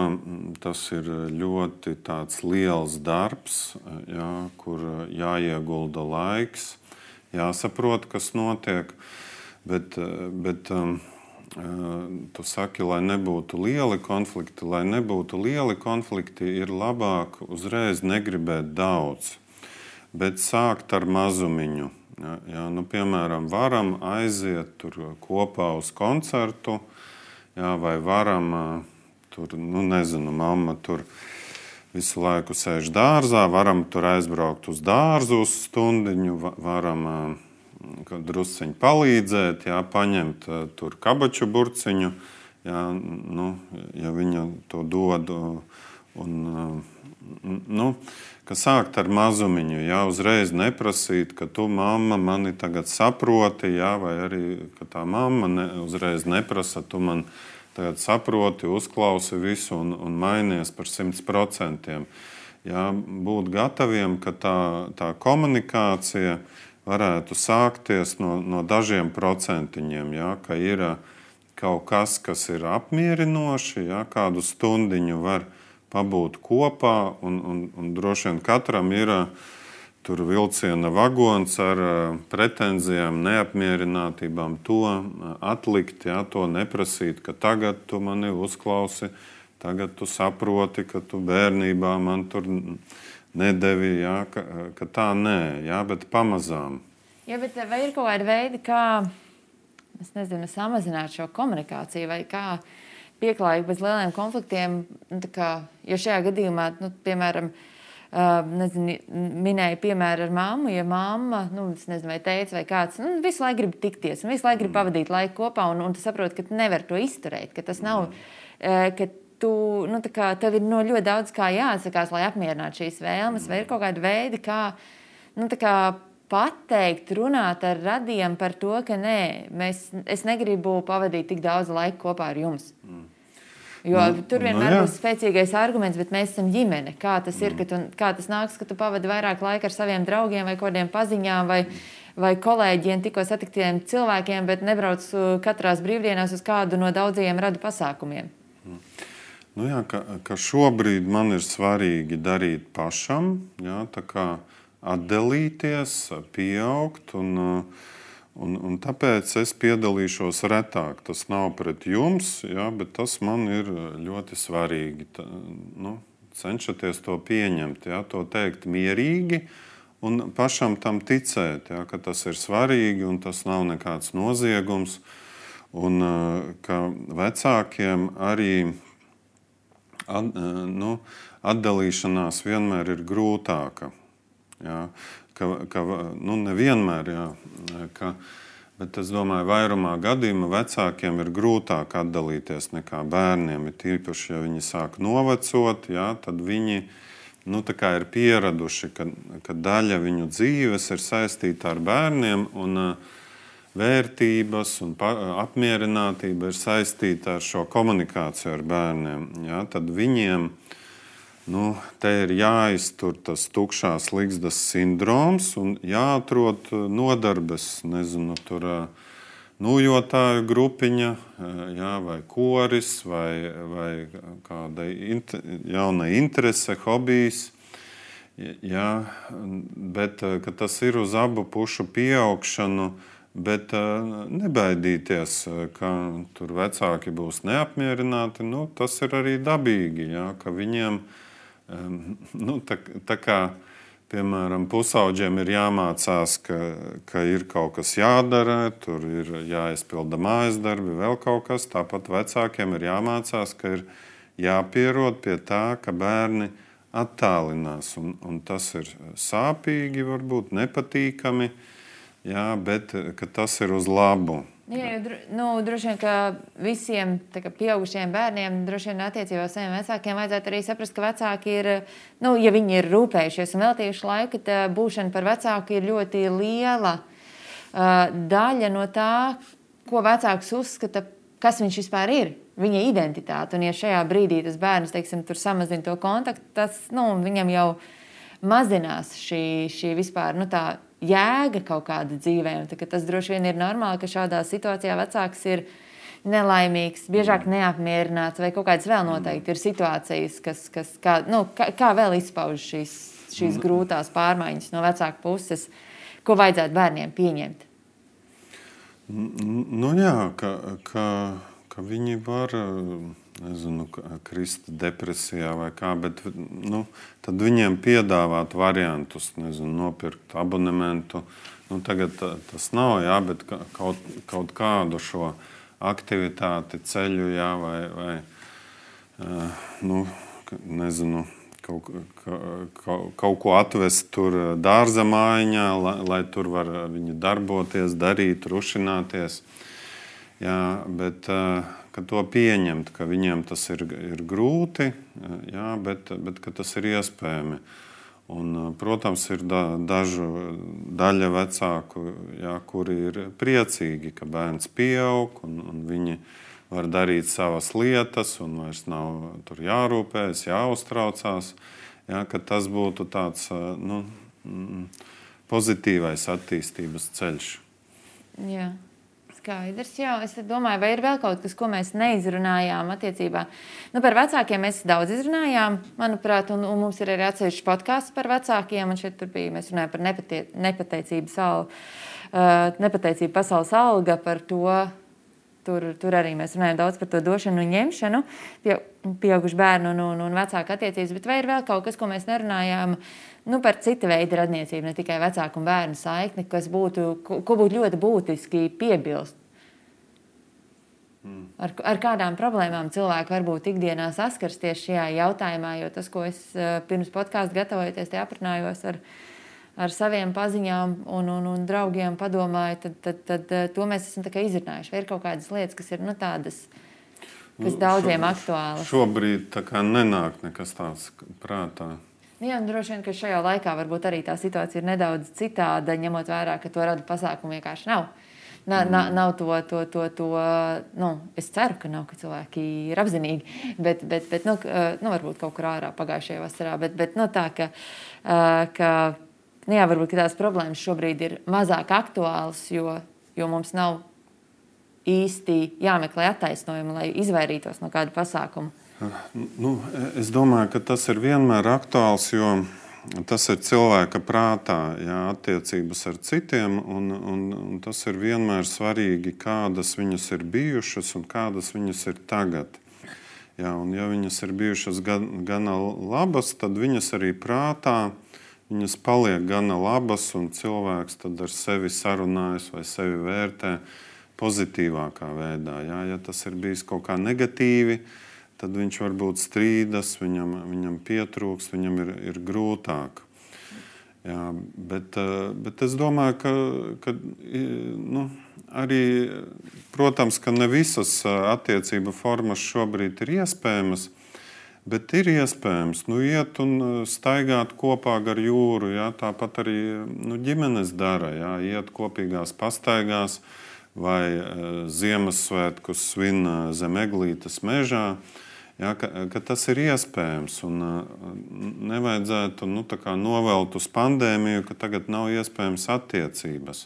tas ir ļoti tāds liels darbs, jā, kur jāiegulda laiks, jāsaprot, kas notiek. Bet, bet tu saki, lai nebūtu lieli konflikti, lai nebūtu lieli konflikti, ir labāk uzreiz negribēt daudz, bet sākt ar mazumiņu. Jā, jā, nu, piemēram, varam aiziet tur kopā uz koncertu, jā, vai varam, tur, nu, nezinu, mamma tur visu laiku sēž dārzā, varam tur aizbraukt uz dārzu uz stundiņu, varam drusciņu palīdzēt, jā, paņemt tur kabaču burciņu, jā, nu, ja viņa to dod, un, nu, ka sākt ar mazumiņu, jā, uzreiz neprasīt, ka tu, mamma, mani tagad saproti, jā, vai arī, ka tā mamma ne, uzreiz neprasa, tu man tagad saproti, uzklausi visu un, un mainies par simts procentiem. Jā, būt gataviem, ka tā, tā komunikācija varētu sākties no, no dažiem procentiņiem, jā, ka ir kaut kas, kas ir apmierinoši, jā, kādu stundiņu var pabūt kopā, un, un, un droši vien katram ir tur vilciena vagons ar pretenzijām, neapmierinātībām. To atlikt, jā, to neprasīt, ka tagad tu mani uzklausi, tagad tu saproti, ka tu bērnībā man tur nedevi, jā, ka, ka tā nē, jā, bet pamazām. Jā, bet vai ir kaut kādi veidi, kā, es nezinu, samazināt šo komunikāciju, vai kā pieklājīgi bez lieliem konfliktiem, nu, tā kā, jo šajā gadījumā, nu, piemēram, uh, nezinu, minēja piemēru ar mammu, ja mamma, nu, es nezinu, vai teica, vai kāds, nu, visu laiku grib tikties, un visu laiku grib pavadīt laiku kopā, un, un tu saproti, ka tu nevari to izturēt, ka tas nav, uh, ka tu, nu, tā kā, tev ir no ļoti daudz kā jāatsakās, lai apmierinātu šīs vēlmes, vai ir kaut kādi veidi, kā, nu, tā kā, pateikt, runāt ar radiem par to, ka nē, mēs, es negribu pavadīt tik daudz laika kopā ar jums. Mm. Jo nu, tur vienmēr nu, būs spēcīgais arguments, bet mēs esam ģimene. Kā tas ir, ka tu, kā tas nāks, ka tu pavadi vairāk laika ar saviem draugiem vai kādiem paziņām vai, vai kolēģiem, tikko satiktiem cilvēkiem, bet nebrauc katrās brīvdienās uz kādu no daudzajiem radu pasākumiem. Mm. Nu jā, ka, ka šobrīd man ir svarīgi darīt pašam, jā, tā kā atdalīties, pieaugt, un, un, un tāpēc es piedalīšos retāk. Tas nav pret jums, jā, bet tas man ir ļoti svarīgi. Tā, nu, cenšaties to pieņemt, jā, to teikt mierīgi un pašam tam ticēt, jā, ka tas ir svarīgi un tas nav nekāds noziegums. Un ka vecākiem arī at, nu, atdalīšanās vienmēr ir grūtāka. Jā, ka, ka nu, nevienmēr, jā, ka, bet es domāju, vairumā gadījumā vecākiem ir grūtāk atdalīties nekā bērniem. Ir tīpaši, ja viņi sāk novecot, jā, tad viņi nu, tā kā ir pieraduši, ka, ka daļa viņu dzīves ir saistīta ar bērniem, un uh, vērtības un apmierinātība ir saistīta ar šo komunikāciju ar bērniem. Jā, tad viņiem nu, te ir jāiztur tas tukšās ligzdas sindroms un jāatrod nodarbes, nezinu, tur nūjotāju grupiņa, jā, vai koris, vai, vai kāda jauna interese, hobijs. Jā, bet ka tas ir uz abu pušu pieaugšanu, bet uh, nebaidīties, ka tur vecāki būs neapmierināti, nu, tas ir arī dabīgi, jā, ka viņiem, um, nu, tā, tā kā, piemēram, pusauģiem ir jāmācās, ka, ka ir kaut kas jādara, tur ir jāizpilda mājas darbi, vēl kaut kas, tāpat vecākiem ir jāmācās, ka ir jāpierod pie tā, ka bērni attālinās, un, un tas ir sāpīgi, varbūt nepatīkami, jā, bet tas ir uz labu. Jā, jo, nu, droši vien, ka visiem kā, pieaugušiem bērniem, droši vien attiecībā uz saviem vecākiem vajadzētu arī saprast, ka vecāki ir, nu, ja viņi ir rūpējušies un veltījuši laiku, tad būšana par vecāku ir ļoti liela uh, daļa no tā, ko vecāks uzskata, kas viņš vispār ir, viņa identitāte. Un ja šajā brīdī tas bērns, teiksim, tur samazina to kontaktu, tas, nu, viņam jau mazinās šī, šī vispār, nu, tā jēga kaut kāda dzīvē. Un tas droši vien ir normāli, ka šādā situācijā vecāks ir nelaimīgs, biežāk neapmierināts vai kaut kādas vēl noteikti ir situācijas, kas, kas kā, nu, kā, kā vēl izpauž šīs, šīs grūtās pārmaiņas no vecāka puses, ko vajadzētu bērniem pieņemt. Nu jā, ka, ka, ka viņi var, nezinu, krist depresijā vai kā, bet nu, tad viņiem piedāvāt variantus, nezinu, nopirkt abonementu. Nu, tagad tas nav, jā, bet kaut, kaut kādu šo aktivitāti ceļu, jā, vai, vai nu, nezinu, kaut, kaut, kaut ko atvest tur dārza mājiņā, lai, lai tur var viņi darboties, darīt, rušināties. Jā, bet ka to pieņemt, ka viņiem tas ir, ir grūti, jā, bet, bet ka tas ir iespējami. Un, protams, ir da, dažu daļa vecāku, jā, kuri ir priecīgi, ka bērns pieaug un, un viņi var darīt savas lietas un vairs nav tur jārūpējas, jāuztraucās, jā, ka tas būtu tāds nu, pozitīvais attīstības ceļš. Jā. Skaidrs, jā. Es domāju, vai ir vēl kaut kas, ko mēs neizrunājām attiecībā. Nu, par vecākiem mēs daudz izrunājām, manuprāt, un, un mums ir arī atsevišķs podcasts par vecākiem, un šeit tur bija, mēs runājām par nepatie, nepateicību, sal, uh, nepateicību pasaules alga, par to, tur, tur arī mēs runājām daudz par to došanu un ņemšanu, pie, pieaugušu bērnu un, un, un vecāku attiecības, bet vai ir vēl kaut kas, ko mēs nerunājām, nu, par cita veida radniecību, ne tikai vecāku un bērnu saikni, kas būtu, ko, ko būtu ļoti būtiski piebilst. Mm. Ar, ar kādām problēmām cilvēki varbūt ikdienā saskars tieši šajā jautājumā, jo tas, ko es pirms podkāstu gatavojoties, te aprunājos ar, ar saviem paziņām un, un, un draugiem padomāju, tad, tad, tad to mēs esam tā kā izrunājuši. Vai ir kaut kādas lietas, kas ir nu, tādas, kas daudziem Šo, aktuālas? Šobrīd tā kā nenāk nekas tāds prātā. Jā, un droši vien, ka šajā laikā varbūt arī tā situācija ir nedaudz citāda, ņemot vērā, ka to rada pasākumu vienkārši nav. Na, mm. na, nav to, to, to, to, nu, es ceru, ka nav, ka cilvēki ir apzinīgi, bet, bet, bet nu, nu, varbūt kaut kur ārā pagājušajā vasarā, bet, bet nu, tā, ka, ka nu, jā, varbūt ka tās problēmas šobrīd ir mazāk aktuālas, jo, jo mums nav īsti jāmeklē attaisnojumi, lai izvairītos no kāda pasākuma. Nu, es domāju, ka tas ir vienmēr aktuāls, jo tas ir cilvēka prātā, jā, attiecības ar citiem, un, un, un tas ir vienmēr svarīgi, kādas viņas ir bijušas un kādas viņas ir tagad. Jā, un ja viņas ir bijušas gan, gana labas, tad viņas arī prātā, viņas paliek gana labas, un cilvēks tad ar sevi sarunājas vai sevi vērtē pozitīvākā veidā. Jā, ja tas ir bijis kaut kā negatīvi, tad viņš varbūt strīdas, viņam, viņam pietrūkst, viņam ir, ir grūtāk. Jā, bet, bet es domāju, ka, ka nu, arī, protams, ka ne visas attiecību formas šobrīd ir iespējamas, bet ir iespējams nu, iet un staigāt kopā gar jūru. Jā, tāpat arī nu, ģimenes dara, jā, iet kopīgās pastaigās vai Ziemassvētkus svin zem eglītes mežā. Jā, ka, ka tas ir iespējams un nevajadzētu nu, novelt uz pandēmiju, ka tagad nav iespējams attiecības.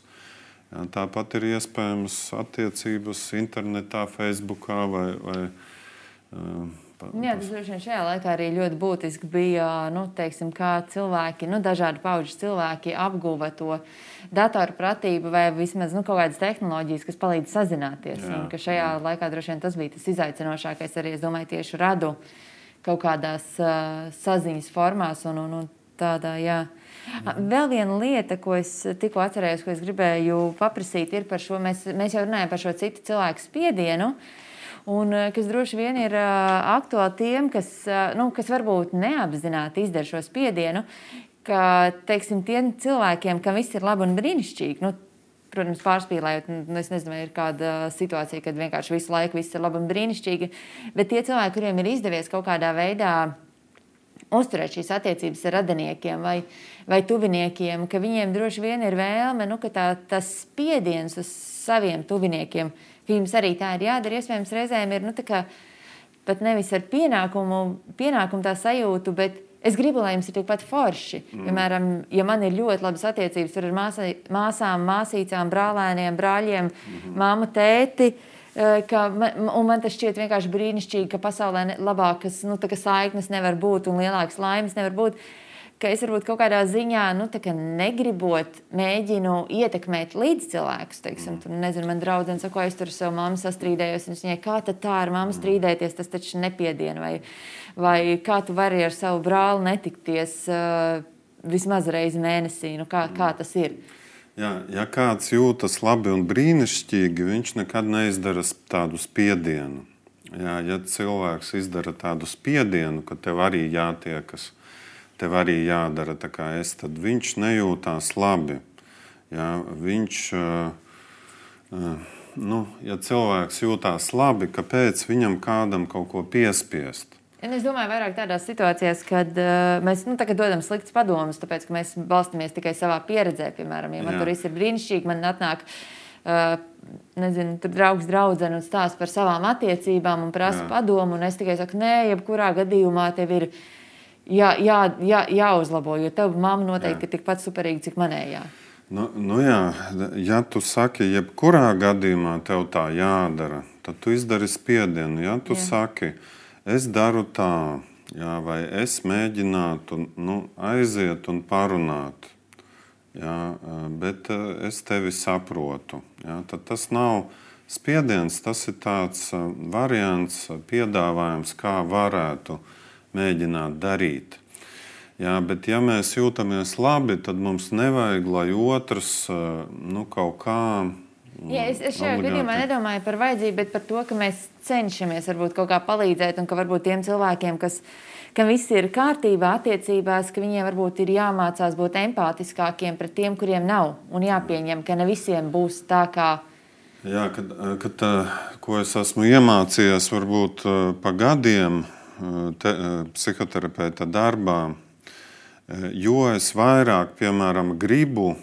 Jā, tāpat ir iespējams attiecības internetā, Facebookā vai, vai Jā, tas droši vien šajā laikā arī ļoti būtiski bija, nu, teiksim, kā cilvēki, nu, dažādu pauģu cilvēki apguva to datorpratību vai vismaz nu, kaut kādas tehnoloģijas, kas palīdz sazināties. Jā, un ka šajā jā. laikā droši vien tas bija tas izaicinošākais arī, es domāju, tieši radu kaut kādās uh, saziņas formās un, un, un tādā, jā. Mhm. Vēl viena lieta, ko es tikko atcerējos, ko es gribēju paprasīt, ir par šo, mēs, mēs jau runājam par šo citu cilvēku spiedienu, un kas droši vien ir uh, aktuāli tiem, kas, uh, nu, kas varbūt neapzināti izdara šo spiedienu, ka, teiksim, tiem cilvēkiem, kam viss ir labi un brīnišķīgi, nu, protams, pārspīlējot, nu, es nezinu, vai ir kāda situācija, kad vienkārši visu laiku viss ir labi un brīnišķīgi, bet tie cilvēki, kuriem ir izdevies kaut kādā veidā uzturēt šīs attiecības ar radiniekiem vai, vai tuviniekiem, ka viņiem droši vien ir vēlme, nu, ka tā, tas spiediens uz saviem tuviniekiem, ka jums arī tā ir jādara, iespējams, reizēm ir, nu, tā kā pat nevis ar pienākumu, pienākumu tā sajūtu, bet es gribu, lai jums ir tikpat forši. Mm. Piemēram, ja man ir ļoti labas attiecības ar māsā, māsām, māsīcām, brālēniem, brāļiem, mm. māmu, tēti, ka man, un man tas šķiet vienkārši brīnišķīgi, ka pasaulē labākas, nu, tā kā saiknes nevar būt un lielākas laimes nevar būt, ka es varbūt kaut kādā ziņā, nu, tā kā negribot, mēģinu ietekmēt līdz cilvēkus, teiksim, tur, nezinu, man draudzene saka, es tur ar savu mammu sastrīdējos, un es viņai, kā tad tā ar mammu strīdēties, tas taču nepiedien, vai, vai kā tu vari ar savu brāli netikties uh, vismaz reizi mēnesī, nu, kā, kā tas ir? Jā, ja kāds jūtas labi un brīnišķīgi, viņš nekad neizdara tādu spiedienu. Jā, ja cilvēks izdara tādu spiedienu, ka tev arī jātiekas, tev arī jādara tā kā es, tad viņš nejūtās labi. Ja, viņš, nu, ja cilvēks jūtās labi, kāpēc viņam kādam kaut ko piespiest? Es domāju, vairāk tādās situācijās, kad uh, mēs nu, dodam sliktas padomus, tāpēc, ka mēs balstamies tikai savā pieredzē. Piemēram, ja man Jā. tur viss ir brīnišķīgi, man atnāk uh, nezinu, tur draugs draudzene un stāsta par savām attiecībām un prasa Jā. padomu, un es tikai saku, nē, jebkurā gadījumā tev ir Jā, jā, jā, jāuzlabo, jo tev mamma noteikti ir tikpat superīga, cik manējā. Nu, nu jā, ja tu saki, jebkurā gadījumā tev tā jādara, tad tu izdari spiedienu. Ja tu jā. saki, es daru tā, jā, vai es mēģinātu nu, aiziet un parunāt, jā, bet es tevi saprotu. Jā, tad tas nav spiediens, tas ir tāds variants, piedāvājums, kā varētu mēģināt darīt. Jā, bet ja mēs jūtamies labi, tad mums nevajag, lai otrs nu, kaut kā... Jā, es, es šajā gadījumā nedomāju par vajadzību, bet par to, ka mēs cenšamies varbūt kaut kā palīdzēt un ka varbūt tiem cilvēkiem, kas, kam viss ir kārtībā attiecībās, ka viņiem varbūt ir jāmācās būt empātiskākiem pret tiem, kuriem nav. Un jāpieņem, ka ne visiem būs tā kā... Jā, kad, kad ko es esmu iemācījies varbūt pa gadiem, Te, psihoterapeita darbā, jo es vairāk, piemēram, gribu,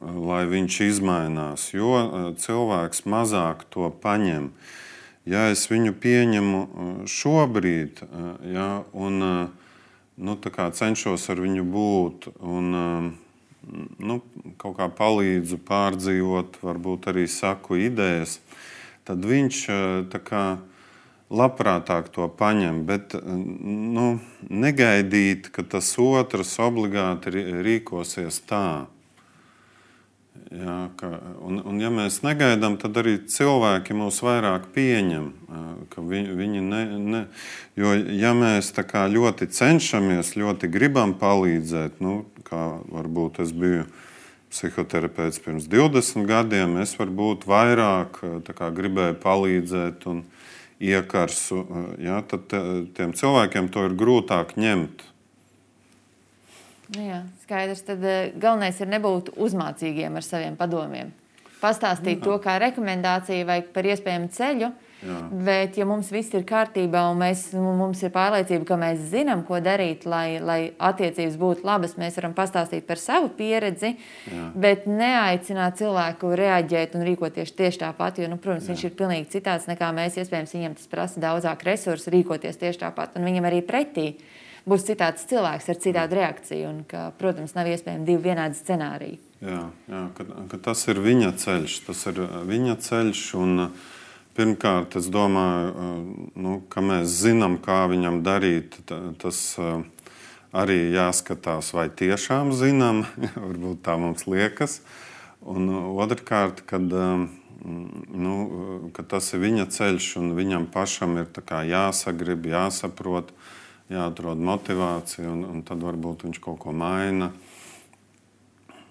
lai viņš izmainās, jo cilvēks mazāk to paņem. Ja es viņu pieņemu šobrīd, ja, un nu, tā kā cenšos ar viņu būt un nu, kaut kā palīdzu pārdzīvot, varbūt arī saku idejas, tad viņš tā kā labprātāk to paņem, bet nu, negaidīt, ka tas otrs obligāti rīkosies tā. Jā, ka, un, un ja mēs negaidām, tad arī cilvēki mūs vairāk pieņem. Ka viņi, viņi ne, ne, jo ja mēs tā kā ļoti cenšamies, ļoti gribam palīdzēt, nu, kā varbūt es biju psihoterapeits pirms divdesmit gadiem, es varbūt vairāk tā kā gribēju palīdzēt un iekarsu, ja, tad tiem cilvēkiem to ir grūtāk ņemt. Nu jā, skaidrs. Tad galvenais ir nebūt uzmācīgiem ar saviem padomiem. Pastāstīt jā. To kā rekomendāciju vai par iespējamu ceļu, jā. Bet ja mums viss ir kārtībā un mēs, mums ir pārliecība, ka mēs zinām, ko darīt, lai, lai attiecības būtu labas, mēs varam pastāstīt par savu pieredzi, jā. Bet neaicināt cilvēku reaģēt un rīkoties tieši tāpat, jo, nu, protams, jā. Viņš ir pilnīgi citāds nekā mēs, iespējams, viņam tas prasa daudzāk resursu rīkoties tieši tāpat, un viņam arī pretī būs citāds cilvēks ar citādu reakciju, un ka, protams, nav iespējami divi vienādi scenāriji. Jā, jā ka, ka tas ir viņa ceļš, tas ir viņa ceļš, un pirmkārt, es domāju, nu, ka mēs zinām, kā viņam darīt, tas arī jāskatās, vai tiešām zinām, varbūt tā mums liekas, un otrkārt, kad, nu, ka tas ir viņa ceļš, un viņam pašam ir tā kā jāsagrib, jāsaprot, jāatrod motivācija, un, un tad varbūt viņš kaut ko maina.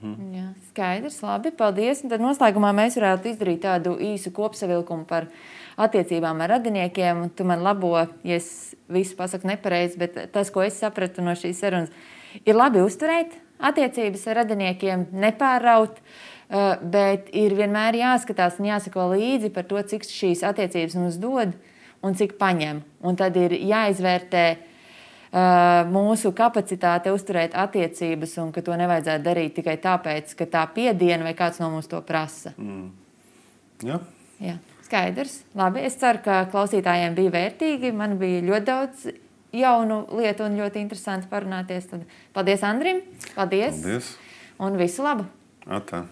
Mhm. Jā, skaidrs, labi, paldies. Un tad noslēgumā mēs varētu izdarīt tādu īsu kopsavilkumu par attiecībām ar radiniekiem. Tu man labo, ja es visu pasaku nepareizi, bet tas, ko es sapratu no šīs sarunas, ir labi uzturēt attiecības ar radiniekiem, nepārraut, bet ir vienmēr jāskatās un jāsako līdzi par to, cik šīs attiecības mums dod un cik paņem. Un tad ir jāizvērtē mūsu kapacitāte uzturēt attiecības un ka to nevajadzētu darīt tikai tāpēc, ka tā piediena vai kāds no mums to prasa. Mm. Jā. Jā, skaidrs. Labi, es ceru, ka klausītājiem bija vērtīgi. Man bija ļoti daudz jaunu lietu un ļoti interesanti parunāties. Tad paldies Andrim. Paldies. Paldies. Un visu labu. Atā.